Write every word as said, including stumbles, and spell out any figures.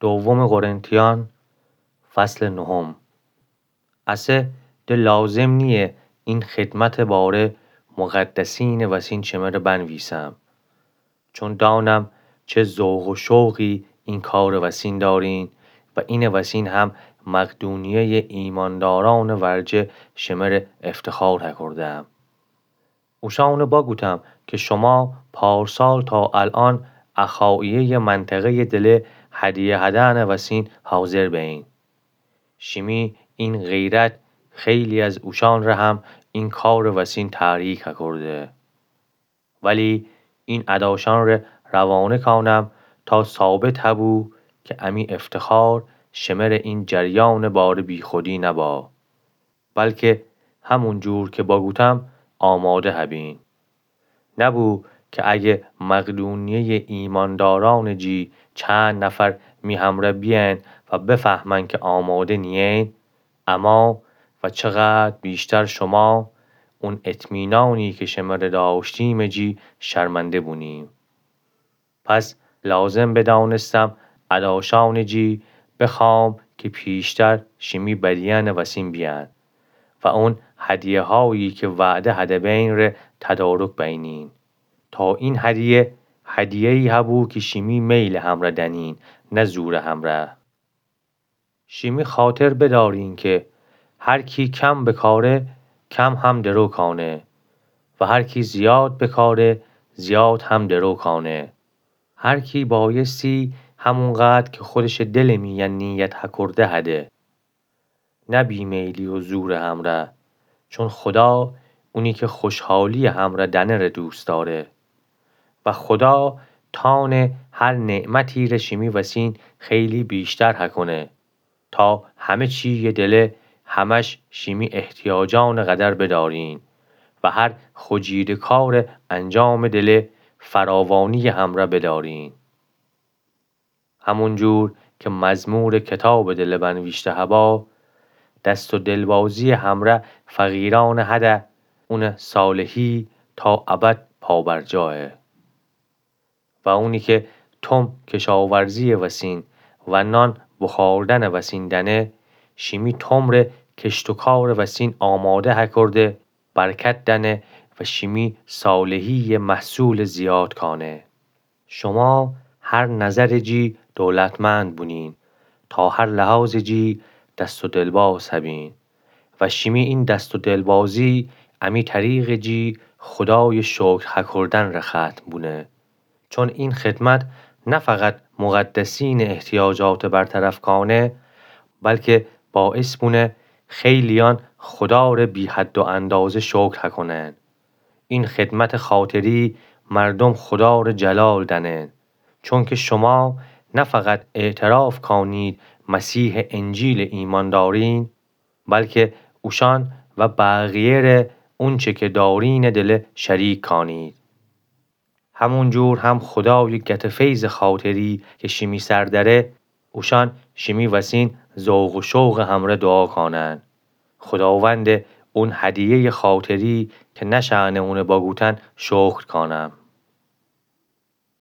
دوم قرنتیان، فصل نهم. اسه ده لازم نییه این خدمتٚ باره مقدسینٚ وسین شمره بنویسم، چون دانم چه ذوق و شوقی این کارٚ وسین دارین و اینٚ وسین هم مقدونیهٔ ایماندارانٚ ورجه شمره افتخار هکردم. اوشانٚ بگوتم که شما پارسال تا الأن اخاییهٔ منطقهٔ دله هدیه هدأنٚ وسین حاضر بین. شیمی این غیرت خیلی از اوشانره هم این کارٚ وسین تحریک هکرده. ولی این اداشانره روانه کانم تا ثابت هبو که امی افتخار شمره این جریانٚ باره بیخودی نبا، بلکه همون جور که بگوتم آماده هبین. نبو که اگه مقدونیهٔ ایماندارانٚ جی چند نفر می همره بیأین و بفهمن که آماده نیین، اما و چقدر بیشتر شما، اون اطمینانی که شمره داشتیمٚ جی شرمنده بونیم. پس لازم بدانستم اداشانٚ جی بخوام که پیشتر شیمی بدیأنٚ وسین بیأن و اون هدیه‌هایی که وعده هدبین ره تدارک بینین. تا این هدیه، هدیه‌یی هبو که شیمی میلٚ همره دنین، نه زورٚ همره. شیمی خاطر بدارین که هر کی کم بکاره، کم هم درو کانه و هر کی زیاد بکاره، زیاد هم درو کانه. هر کی بایستی همونقدر که خودشٚ دلٚ میأن نیت هکرده هده، نه بی‌میلی و زورٚ همره، چون خدا اونی که خوشحالی‌یٚ همره دنه ره دوست داره. و خدا تانه هر نعمتی ره شیمی وسین خیلی بیشتر هکونه، تا همه چی‌یٚ دله همش شیمی احتیاجانٚ قدر بدارین و هر خوجیده کارٚ انجامٚ دله فراوانی‌یٚ همره بدارین. همون جور که مزمورٚ کتابٚ دله بنویشته هبا، دست و دلبازی‌یٚ همره فقیرأنٚ هده، اونٚ صالحی تا ابد پابرجایه. و اونی که توم کشاورزی‌یٚ وسین و نان بخوردنٚ وسین دنه، شیمی توم ره کشت و کارٚ وسین آماده هکرده، برکت دنه و شیمی صالحی‌یٚ محصولٚ زیاد کانه. شما هر نظرٚ جی دولتمند بونین، تا هر لحاظٚ جی دست و دلباز هبین. و شیمی این دست و دلبازی امی طریقٚ جی خدایٚ شکر هکردن ره ختم بونه. چون این خدمت نه فقط مقدسینٚ احتیاجات برطرف کانه، بلکه باعث بونه خیلیأن خدا ره بی‌حد و اندازه شکر هکنن. این خدمتٚ خاطری مردوم خدا ره جلال دنن، چونکه شما نه فقط اعتراف کانید مسیحٚ انجیل ایمأن دارین، بلکه اوشأن و بقیه ره اونچه که دارینٚ دله شریک کانید. همون جور هم خدایٚ گت فیضٚ خاطری که شیمی سر دأره، اوشأن شیمی وسین ذوق و شوقٚ همره دوعا کانن. خداوندٚ اون هدیه‌یٚ خاطری که نشأنه اونه بگوتن شکر کانم.